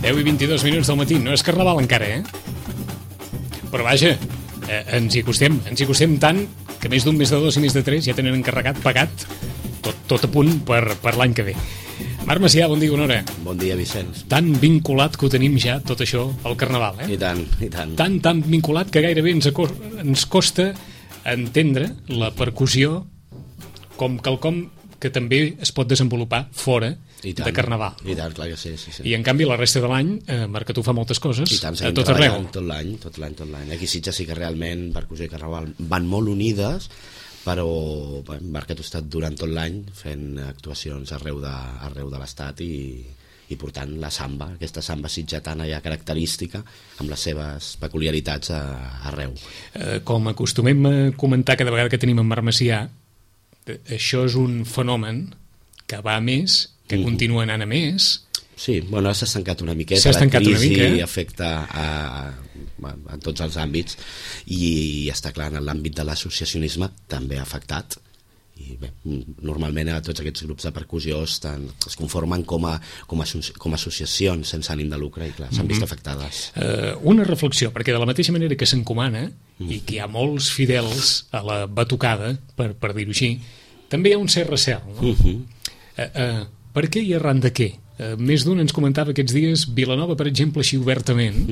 10:22 del matí. No és carnaval encara, Però vaja, ens hi acostem tant que més d'un, més de dos i més de tres ja tenen encarregat, pagat, tot a punt per l'any que ve. Marc Macià, bon dia, bona hora. Bon dia, Vicenç. Tan vinculat que ho tenim ja, tot això, al carnaval, I tant, i tant. Tan vinculat que gairebé ens costa entendre la percussió com quelcom que també es pot desenvolupar fora de carnaval. I tant, clar que sí. I en canvi la resta de l'any Marcatú fa moltes coses a tot arreu. Tot l'any. Aquí Sitges sí que realment percussió i carnaval van molt unides, però Marcatú ha estat durant tot l'any fent actuacions arreu de l'estat i portant la samba, aquesta samba sitgetana ja característica, amb les seves peculiaritats arreu. Com acostumem a comentar cada vegada que tenim en Marc Macià, això és un fenomen que va a més, que continua anant a més. Sí, bueno, s'ha estancat una miqueta, la crisi afecta a tots els àmbits i està clar, en l'àmbit de l'associacionisme també ha afectat. I bé, normalment tots aquests grups de percussió es conformen com a associacions sense ànim de lucre i clar, s'han vist afectades. Una reflexió, perquè de la mateixa manera que s'encomana i que hi ha molts fidels a la batucada, per dir-ho així, també hi ha un cert recel, no? Per què i arran de què? Més d'un ens comentava aquests dies, Vilanova, per exemple, així obertament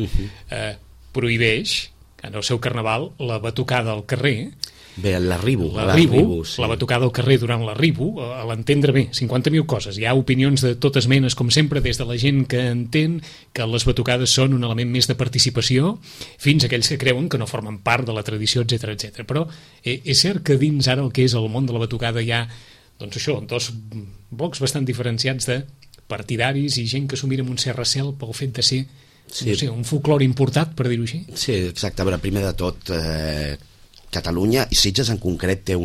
prohibeix en el seu carnaval la batucada al carrer. Bé, l'arribo, sí. La batucada al carrer durant l'arribo, a l'entendre bé, 50.000 coses. Hi ha opinions de totes menes, com sempre, des de la gent que entén que les batucades són un element més de participació, fins a aquells que creuen que no formen part de la tradició, etc. Però és cert que dins ara el que és el món de la batucada hi ha, doncs això, dos blocs bastant diferenciats de partidaris i gent que s'ho mira amb un cert recel pel fet de ser, no sé, un folclore importat, per dir-ho així. Sí, exacte. A veure, primer de tot, Catalunya, i Sitges en concret, té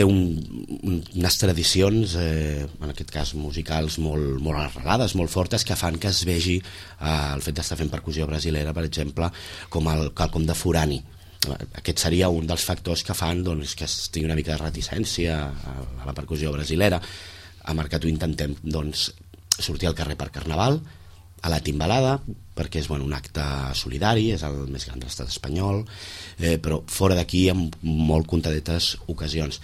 unes tradicions, en aquest cas musicals, molt arrelades, molt fortes, que fan que es vegi el fet d'estar fent percussió brasilera, per exemple, com quelcom de forani. Aquest seria un dels factors que fan que es tingui una mica de reticència a la percussió brasilera. A Marcatú intentem sortir al carrer per carnaval, a la timbalada, perquè és un acte solidari, és el més gran de l'estat espanyol, però fora d'aquí en molt contadetes ocasions.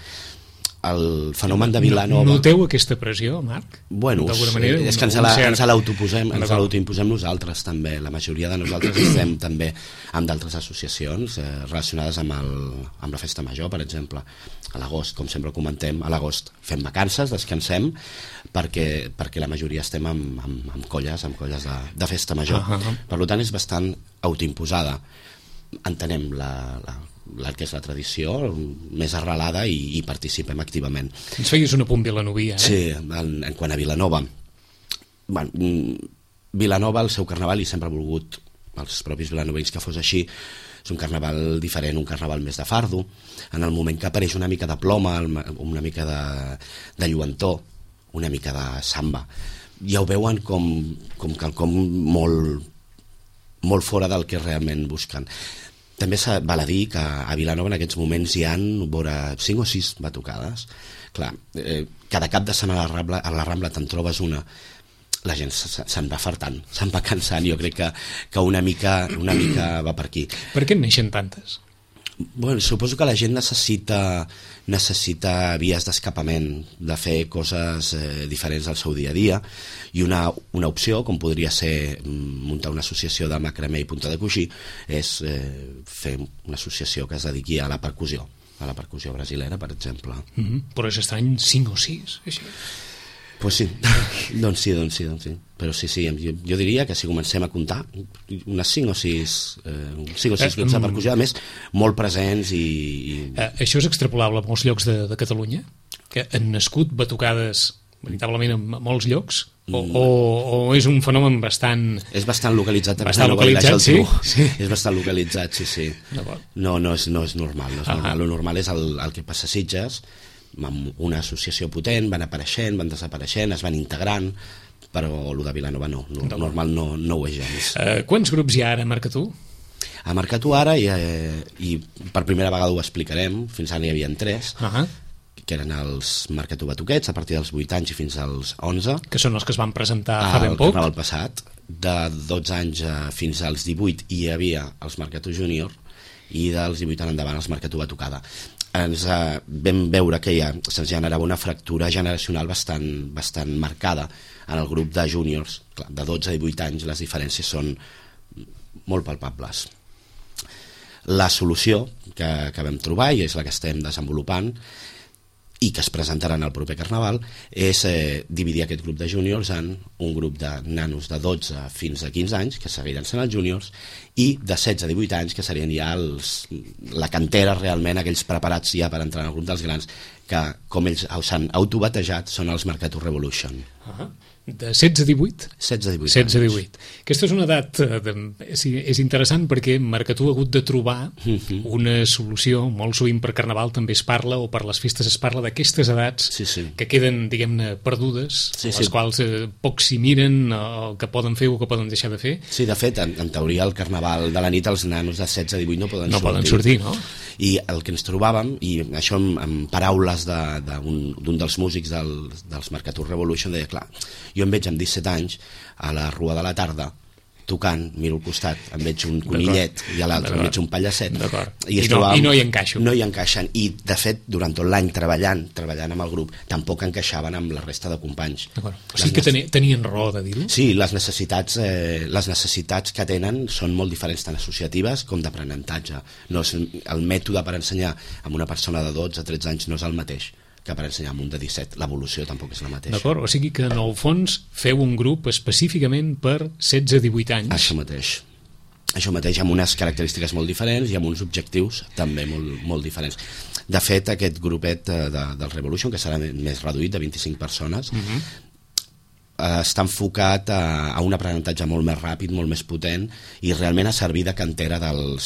El fenomen de Vilanova... Noteu aquesta pressió, Marc? Bueno, és que ens l'autoimposem nosaltres també. La majoria de nosaltres estem també amb d'altres associacions relacionades amb la festa major, per exemple. A l'agost, com sempre comentem, a l'agost fem vacances, descansem, perquè la majoria estem amb colles de festa major. Per tant, és bastant autoimposada. Entenem el que és la tradició més arrelada i participem activament. Ens feies un apunt vilanovia, Sí, en quant a Vilanova. Vilanova, el seu carnaval, i sempre ha volgut els propis vilanovins que fos així, és un carnaval diferent, un carnaval més de fardo. En el moment que apareix una mica de ploma, una mica de lluentor, una mica de samba, ja ho veuen com quelcom molt fora del que realment busquen. També val a dir que a Vilanova en aquests moments hi ha 5 o 6 batucades. Clar, cada cap de setmana a la Rambla te'n trobes una, la gent se'n va fartant, se'n va cansant. Jo crec que una mica va per aquí. Per què en neixen tantes? Bueno, suposo que la gent necessita vies d'escapament, de fer coses diferents al seu dia a dia, i una opció, com podria ser muntar una associació de macramé i punta de coixí, és fer una associació que es dediqui a la percussió brasilera, per exemple. Però és estrany 5 o 6, així. Pues sí, doncs sí. Però sí, jo diria que si comencem a comptar unes 5 o 6 grups de percussió, a més, molt presents i... Això és extrapolable a molts llocs de Catalunya? Que han nascut batucades veritablement en molts llocs? O és un fenomen bastant... És bastant localitzat. Sí? És bastant localitzat, sí. No és normal. El normal és el que passa a Sitges, amb una associació potent, van apareixent, van desapareixent, es van integrant, però el de Vilanova normal no ho és gens. Quants grups hi ha ara a Marcatú? A Marcatú ara, i per primera vegada ho explicarem, fins ara n'hi havia 3, que eren els Marcatú Batuquets, a partir dels 8 anys i fins als 11. Que són els que es van presentar fa ben poc. El carnaval passat. De 12 anys fins als 18 hi havia els Marcatú Júnior, i dels 18 en endavant els Marcatú Batucada. Ens vam veure que se'ns generava una fractura generacional bastant marcada en el grup de júniors. Clar, de 12 a 18 anys les diferències són molt palpables. La solució que vam trobar, i és la que estem desenvolupant i que es presentaran al proper carnaval, és dividir aquest grup de júniors en un grup de nanos de 12 fins a 15 anys, que seguiran sent els júniors, i de 16 a 18 anys, que serien ja la cantera realment, aquells preparats ja per entrar en el grup dels grans, que com ells s'han autobatejat són els Marcatú Revolution. De 16 a 18? 16 a 18. 16 a 18. Aquesta és una edat és interessant perquè Marcatú ha hagut de trobar una solució. Molt sovint per Carnaval també es parla, o per les festes es parla d'aquestes edats que queden, diguem-ne, perdudes, les quals pocs s'hi miren, el que poden fer o que poden deixar de fer. Sí, de fet, en teoria, el Carnaval de la nit els nanos de 16 a 18 no poden sortir. No poden sortir, no? I el que ens trobàvem, i això en paraules d'un dels músics dels Marcatú Revolution, deia, clar, jo em veig amb 17 anys a la Rua de la Tarda tocant, miro al costat, em veig un conillet i a l'altre em veig un pallasset i no hi encaixo. No hi encaixen, i de fet durant tot l'any treballant amb el grup tampoc encaixaven amb la resta de companys. O sigui que tenien raó de dir-ho? Sí, les necessitats que tenen són molt diferents, tant associatives com d'aprenentatge. El mètode per ensenyar a una persona de 12 a 13 anys no és el mateix que per ensenyar un de 17, l'evolució tampoc és la mateixa. D'acord, o sigui que en el fons feu un grup específicament per 16 a 18 anys. Això mateix, amb unes característiques molt diferents i amb uns objectius també molt diferents. De fet, aquest grupet del Revolution, que serà més reduït, de 25 persones, està enfocat a un aprenentatge molt més ràpid, molt més potent, i realment a servir de cantera del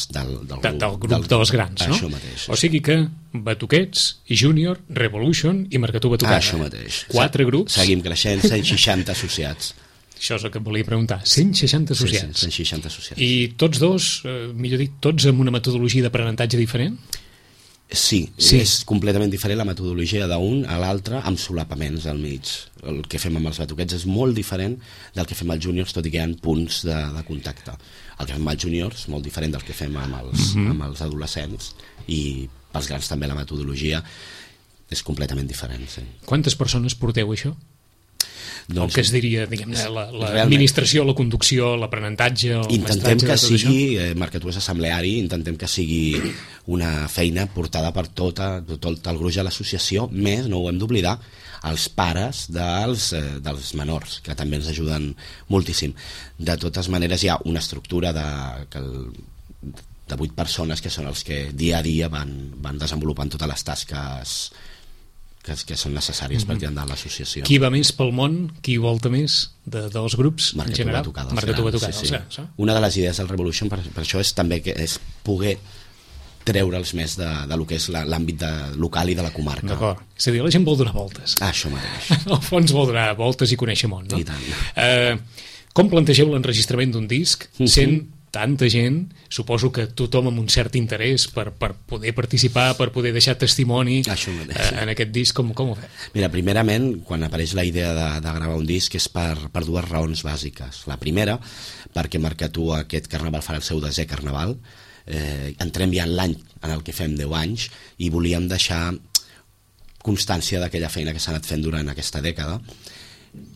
grup dels grans, no? Això mateix. O sigui que Batuquets, Júnior, Revolution i Marcatú Batucada. Això mateix. 4 grups. Seguim creixent, 160 associats. Això és el que et volia preguntar. 160 associats. Sí, 160 associats. I tots dos, millor dit, tots amb una metodologia d'aprenentatge diferent? Sí, és completament diferent la metodologia d'un a l'altre, amb solapaments al mig. El que fem amb els batuquets és molt diferent del que fem als júniors, tot i que hi ha punts de contacte. El que fem amb els júniors és molt diferent del que fem amb els adolescents, i pels grans també la metodologia és completament diferent. Sí. Quantes persones porteu això? Doncs, el que es diria, diguem-ne, l'administració, la conducció, l'aprenentatge, el intentem mestratge, que sigui, Marcatú és assembleari, intentem que sigui una feina portada per tot el gruix de l'associació, més, no ho hem d'oblidar, els pares dels menors, que també ens ajuden moltíssim. De totes maneres, hi ha una estructura de 8 persones que són els que dia a dia van desenvolupant totes les tasques que són necessàries per tirar endavant l'associació. Qui va més pel món? Qui volta més dels grups en general? Marcatú Batucada. Sí. Una de les idees del Revolution per això és també que és poder treure'ls més de lo que és l'àmbit local i de la comarca. D'acord. És a dir, la gent vol donar voltes. Això mateix. Al fons vol donar voltes i conèixer món, no? I tant. Com plantegeu l'enregistrament d'un disc sent tanta gent, suposo que tothom amb un cert interès per poder participar, per poder deixar testimoni en aquest disc, com ho fem? Mira, primerament, quan apareix la idea de gravar un disc és per 2 raons bàsiques. La primera, perquè Marcatú aquest carnaval farà el seu 10è carnaval, entrem ja en l'any en el que fem 10 anys i volíem deixar constància d'aquella feina que s'ha anat fent durant aquesta dècada.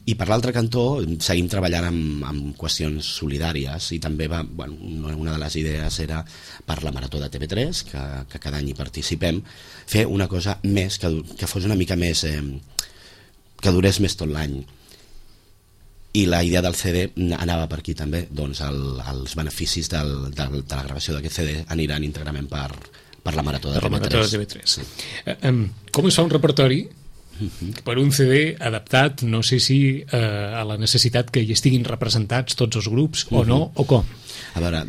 I per l'altre cantó seguim treballant amb qüestions solidàries, i també una de les idees era per la Marató de TV3, que cada any hi participem, fer una cosa més que fos una mica més que durés més tot l'any. I la idea del CD anava per aquí també, doncs els beneficis de la gravació d'aquest CD aniran íntegrament per la Marató de TV3. Sí. Com es fa un repertori per un CD adaptat, no sé si a la necessitat que hi estiguin representats tots els grups o no, o com? A veure,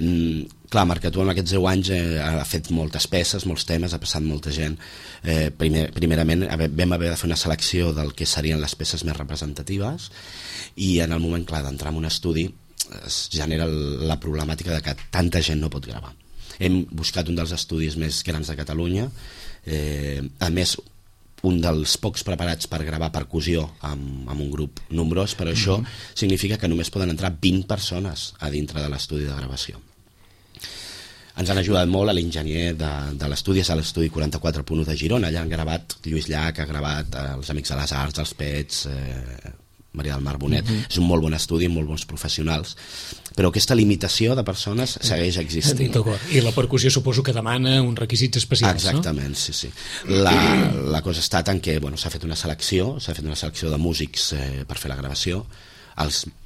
clar, Marcatú en aquests 10 anys ha fet moltes peces, molts temes, ha passat molta gent. Primerament vam haver de fer una selecció del que serien les peces més representatives, i en el moment, clar, d'entrar en un estudi es genera la problemàtica de que tanta gent no pot gravar. Hem buscat un dels estudis més grans de Catalunya, a més un dels pocs preparats per gravar percussió amb un grup nombrós, però això significa que només poden entrar 20 persones a dintre de l'estudi de gravació. Ens han ajudat molt a l'enginyer de l'estudi, és a l'estudi 44.1 de Girona. Allà han gravat Lluís Llach, ha gravat els Amics de les Arts, els Pets, Maria del Mar Bonet. És un molt bon estudi, amb molt bons professionals, però aquesta limitació de persones segueix existint. I la percussió suposo que demana uns requisits especials, exactament, no? Sí. La cosa ha estat en què s'ha fet una selecció, de músics per fer la gravació.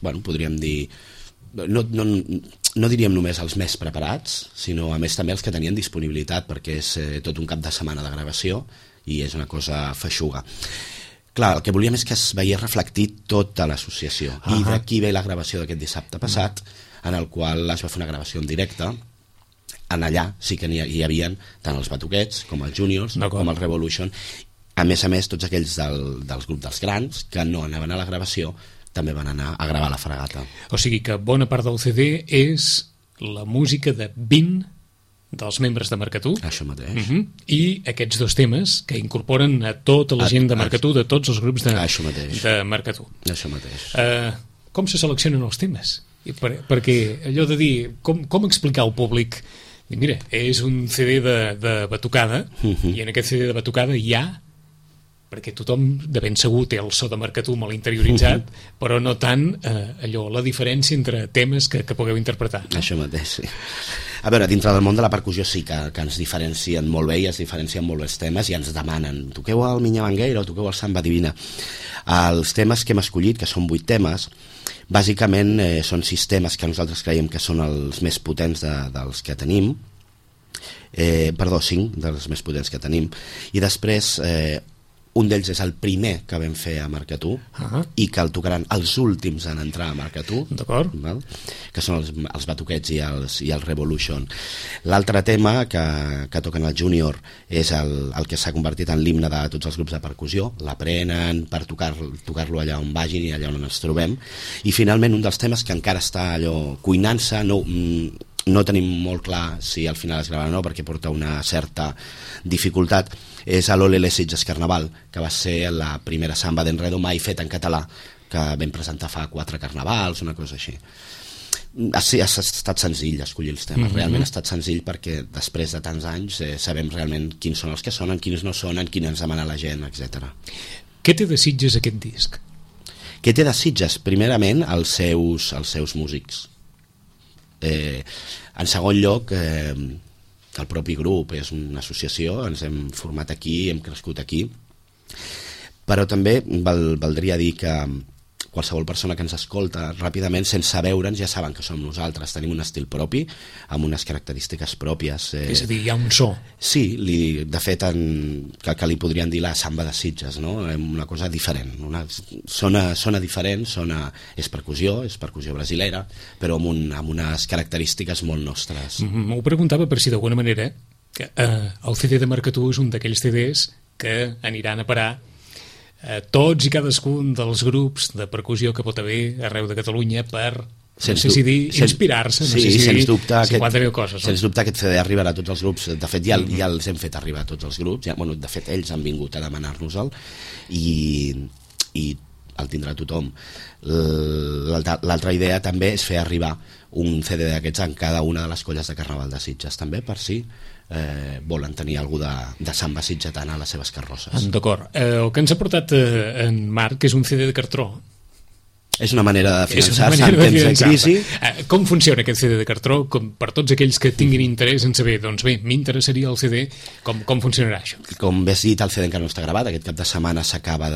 Podríem dir, no diríem només els més preparats, sinó a més també els que tenien disponibilitat, perquè és tot un cap de setmana de gravació i és una cosa feixuga. Clar, el que volíem és que es veiés reflectit tota l'associació, i d'aquí ve la gravació d'aquest dissabte passat, en el qual es va fer una gravació en directe. En allà sí que hi havia tant els Batuquets com els Juniors com el Revolution. A més, tots aquells dels grups dels grans que no anaven a la gravació també van anar a gravar la Fragata. O sigui que bona part del CD és la música de 20 dels membres de Marcatú. Això mateix. I aquests 2 temes que incorporen a tota la gent de Marcatú, de tots els grups de Marcatú. Això mateix. Com se seleccionen els temes? Perquè allò de dir, com explicar al públic, mira, és un CD de batucada, i en aquest CD de batucada hi ha, perquè tothom de ben segur té el so de Marcatú molt interioritzat, però no tant la diferència entre temes que pugueu interpretar. Això mateix, sí. A veure, dintre del món de la percussió sí que ens diferencien molt bé, i es diferencien molt els temes, i ens demanen, toqueu el Minya Mangueira o toqueu el Samba Divina. Els temes que hem escollit, que són 8 temes, bàsicament són 6 temes que nosaltres creiem que són els més potents dels que tenim, 5 dels més potents que tenim, i després un d'ells és el primer que vam fer a Marcatú, i que el tocaran els últims en entrar a Marcatú, que són els Batuquets i el Revolution. L'altre tema que toquen el Júnior és el que s'ha convertit en l'himne de tots els grups de percussió. L'aprenen per tocar-lo allà on vagin i allà on ens trobem. I finalment un dels temes que encara està allò cuinant-se, no tenim molt clar si al final es gravarà o no, perquè porta una certa dificultat, és l'Olele Sitges Carnaval, que va ser la primera samba d'Enredo mai feta en català, que vam presentar fa 4 carnavals, una cosa així. Ha estat senzill escollir els temes, realment ha estat senzill, perquè després de tants anys sabem realment quins són els que sonen, quins no sonen, quins ens demana la gent, etc. Què té de Sitges aquest disc? Què té de Sitges? Primerament els seus músics. En segon lloc, el propi grup és una associació, ens hem format aquí, hem crescut aquí, però també valdria dir que qualsevol persona que ens escolta ràpidament, sense veure'ns, ja saben que som nosaltres. Tenim un estil propi, amb unes característiques pròpies. És a dir, hi ha un so. Sí, de fet, que li podrien dir la samba de Sitges, no? Una cosa diferent. Sona diferent, és percussió brasilera, però amb unes característiques molt nostres. M'ho preguntava per si d'alguna manera que el CD de Marcatú és un d'aquells CDs que aniran a parar tots i cadascun dels grups de percussió que pot haver arreu de Catalunya per inspirar-se, sens dubte, 50.000 coses. Sens dubte aquest CD arribarà a tots els grups. De fet, ja els hem fet arribar a tots els grups. De fet, ells han vingut a demanar-nos-el i el tindrà tothom. L'altra idea també és fer arribar un CD d'aquests en cada una de les colles de Carnaval de Sitges, també, per si volen tenir algú de samba sitgetana a les seves carrosses. D'acord. El que ens ha portat en Marc és un CD de cartró. És una manera de finançar-se en temps de crisi. Com funciona aquest CD de cartró? Per tots aquells que tinguin interès en saber, doncs bé, m'interessaria el CD, com funcionarà això? Com bé has dit, el CD encara no està gravat. Aquest cap de setmana s'acaba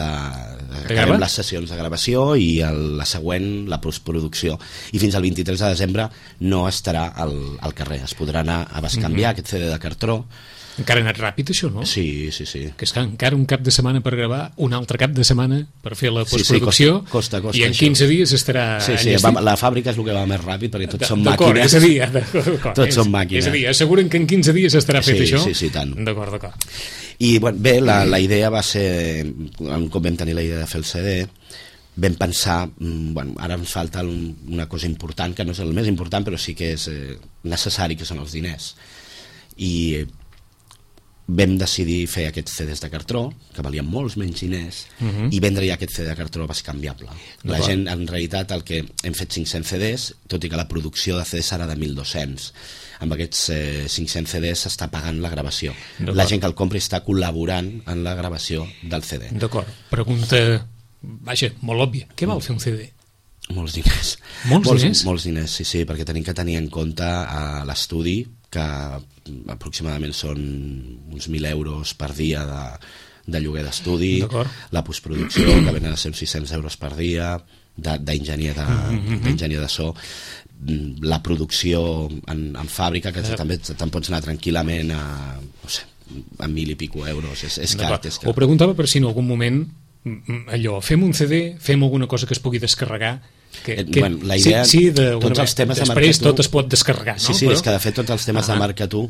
acabem les sessions de gravació i la següent, la postproducció. I fins al 23 de desembre no estarà al carrer. Es podrà anar a bescanviar aquest CD de cartró. Encara ha anat ràpid, això, no? Sí. Que és que encara un cap de setmana per gravar, un altre cap de setmana per fer la postproducció, costa, i en 15 dies estarà... La fàbrica és el que va més ràpid, perquè tots són màquines. Tots són màquines. És a dir, asseguren que en 15 dies estarà fet això? Sí, tant. D'acord. I bé, la idea va ser, com vam tenir la idea de fer el CD, vam pensar, ara ens falta una cosa important, que no és el més important, però sí que és necessari, que són els diners. I vam decidir fer aquests CDs de cartró, que valien molts menys diners, i vendre ja aquest CD de cartró bescanviable. La gent, en realitat, el que hem fet 500 CDs, tot i que la producció de CDs serà de 1.200. Amb aquests 500 CDs s'està pagant la gravació. La gent que el compra està col·laborant en la gravació del CD. D'acord. Pregunta, vaja, molt òbvia. Què val fer un CD? Molts diners. Molts diners, sí, perquè tenim que tenir en compte l'estudi, que aproximadament són uns 1.000 euros per dia de lloguer d'estudi, la postproducció, que venen a ser uns 600 euros per dia, d'enginyer de so, la producció en fàbrica, que també te'n pots anar tranquil·lament a 1.000 i pico euros. És car. Ho preguntava per si en algun moment allò, fem un CD, fem alguna cosa que es pugui descarregar, la idea, tots els temes de després tot es pot descarregar, no? Sí, és que de fet tots els temes de Marca-Tu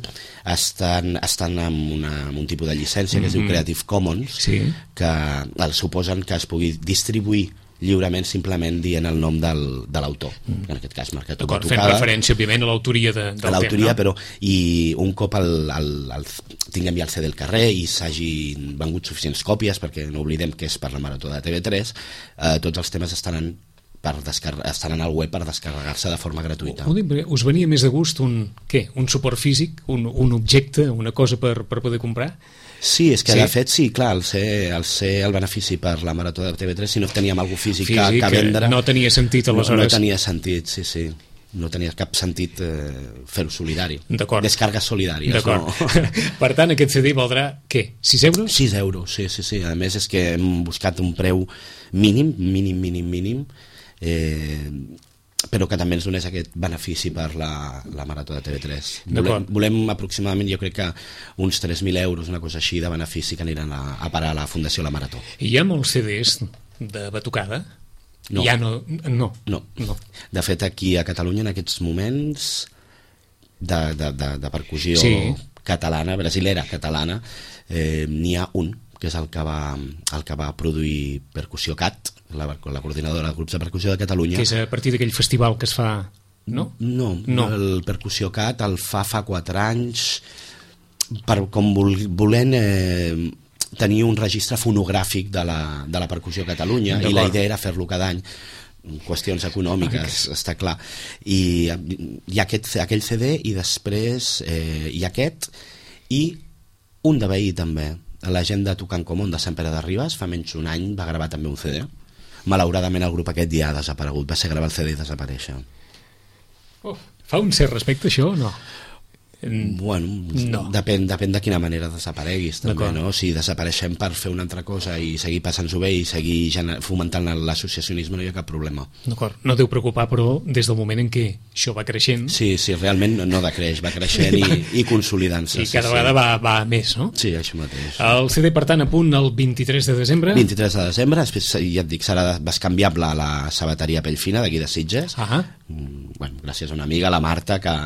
estan amb un tipus de llicència que es diu Creative Commons, que suposen que es pugui distribuir lliurement simplement dient el nom de l'autor, en aquest cas Marca-Tu. D'acord, fent referència òbviament a l'autoria del tema. A l'autoria, però i un cop tinguem ja el CD al carrer i s'hagin vengut suficients còpies, perquè no oblidem que és per la Marató de TV3, tots els temes estan al web per descarregar-se de forma gratuïta. Us venia més de gust un suport físic, un objecte, una cosa per poder comprar? Sí, és que de fet sí, clar, al ser el benefici per la Marató de TV3, si no teníem alguna cosa físic que vendre... No tenia sentit aleshores. No tenia sentit, sí. No tenia cap sentit fer-ho solidari. D'acord. Descargues solidàries. D'acord. No? Per tant, aquest CD valdrà, què? 6 euros? 6 euros, sí. A més és que hem buscat un preu mínim, però que també ens donés aquest benefici per la Marató de TV3. Volem aproximadament, jo crec que uns 3.000 euros, una cosa així, de benefici que aniran a parar a la Fundació La Marató. I hi ha molts CDs de batucada? No. No. De fet, aquí a Catalunya, en aquests moments de percussió catalana, brasilera catalana, n'hi ha un, que és el que va produir Percussió CAT, la coordinadora de grups de percussió de Catalunya. Que és a partir d'aquell festival que es fa, no? No. El Percussió CAT el fa 4 anys, com volent tenir un registre fonogràfic de la percussió a Catalunya, i la idea era fer-lo cada any, qüestions econòmiques, està clar. I hi ha aquell CD, i després hi ha aquest, i un de Veí també. La gent de Tocant Comón de Sant Pere de Ribes fa menys d'un any va gravar també un CD. Malauradament el grup aquest ja ha desaparegut, va ser gravar el CD i desaparèixer. Fa un cert respecte això o no? Bueno, no. Depèn de quina manera desapareguis també, no? Si desapareixem per fer una altra cosa i seguir passant-s'ho bé i seguir fomentant l'associacionisme, no hi ha cap problema. D'acord, no deu preocupar, però des del moment en què això va creixent... Sí, realment no decreix, va creixent i consolidant-se. I cada vegada va més, no? Sí, això mateix. El CD, per tant, a punt el 23 de desembre. 23 de desembre, després ja et dic, serà bescanviable a la sabateria Pellfina d'aquí de Sitges. Bueno, gràcies a una amiga, la Marta, que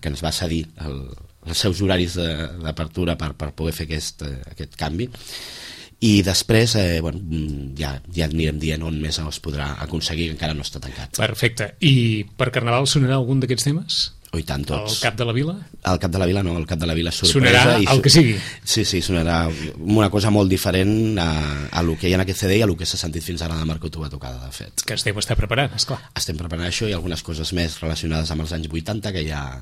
ens va cedir els seus horaris d'apertura per poder fer aquest canvi, i després ja anirem dient on més es podrà aconseguir, que encara no està tancat. Perfecte. I per Carnaval sonarà algun d'aquests temes? I tant, tots. El Cap de la Vila? El Cap de la Vila no, el Cap de la Vila és sorpresa. Sonarà el que sigui? Sí, sonarà una cosa molt diferent a lo que hi ha en aquest CD i a lo que s'ha sentit fins ara de Marca-Tu a tocada, de fet. Que esteu preparant, esclar. Estem preparant això i algunes coses més relacionades amb els anys 80, que ja...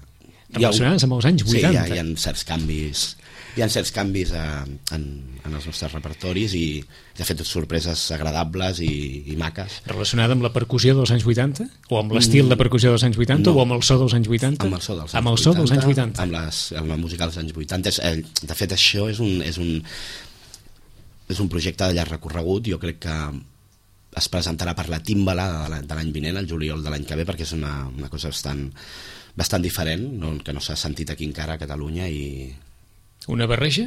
Relacionades amb els anys 80? Sí, hi ha certs canvis. Hi ha certs canvis en els nostres repertoris i de fet sorpreses agradables i maques. Relacionada amb la percussió dels anys 80? O amb l'estil de percussió dels anys 80? No. O amb el so dels anys 80? Amb el so dels anys 80. Amb la música dels anys 80. De fet, això és un projecte de llarg recorregut. Jo crec que es presentarà per la Tímbala de l'any vinent, el juliol de l'any que ve, perquè és una cosa bastant diferent, que no s'ha sentit aquí encara a Catalunya. Una barreja?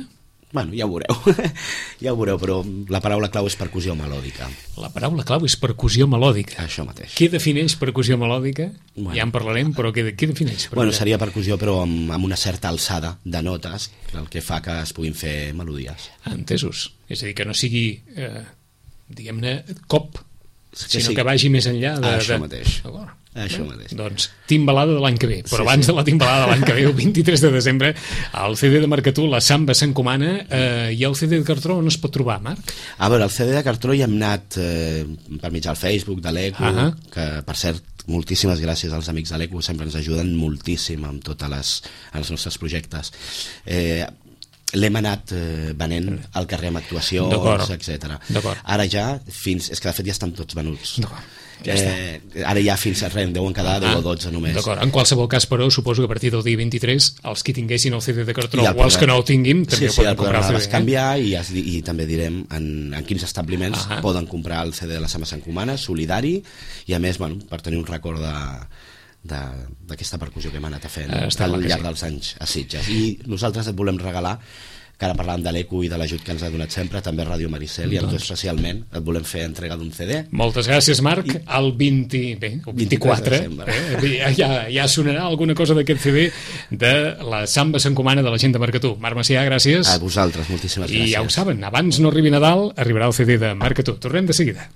Bueno, ja ho veureu, però la paraula clau és percussió melòdica. La paraula clau és percussió melòdica. Això mateix. Què defineix percussió melòdica? Ja en parlarem, però què defineix? Bueno, seria percussió, però amb una certa alçada de notes, el que fa que es puguin fer melodies. Entesos. És a dir, que no sigui, diguem-ne, cop, sinó que vagi més enllà de... Això mateix. Això mateix. Doncs timbalada de l'any que ve, però Sí, abans sí. de la timbalada de l'any que ve, el 23 de desembre, el CD de Marcatú, la Samba s'encomana, i el CD de cartró on es pot trobar, Marc? A veure, el CD de cartró hi hem anat per mitjà del Facebook, de l'Eco, que per cert, moltíssimes gràcies als amics de l'Eco, sempre ens ajuden moltíssim amb els nostres projectes. L'hem anat venent al carrer amb actuacions, etc. Ara ja, és que de fet ja estan tots venuts. Ara ja fins a res, deuen quedar 10 o 12 només. D'acord, en qualsevol cas, però, suposo que a partir del dia 23, els que tinguessin el CD de cartró o els que no el tinguin, també el poden comprar el CD. Canviar i també direm en quins establiments poden comprar el CD de la Samba s'encomana, solidari, i a més, per tenir un record d'aquesta percussió que hem anat fent al llarg dels anys a Sitges. I nosaltres et volem regalar, que ara parlàvem de l'Eco i de l'ajut que ens ha donat sempre, també Ràdio Maricel, i amb tu especialment et volem fer entrega d'un CD. Moltes gràcies, Marc. El 24 ja sonarà alguna cosa d'aquest CD de la Samba s'encomana de la gent de Marcatú. Marc Macià, gràcies. A vosaltres, moltíssimes gràcies. I ja ho saben, abans no arribi Nadal, arribarà el CD de Marcatú. Tornem de seguida.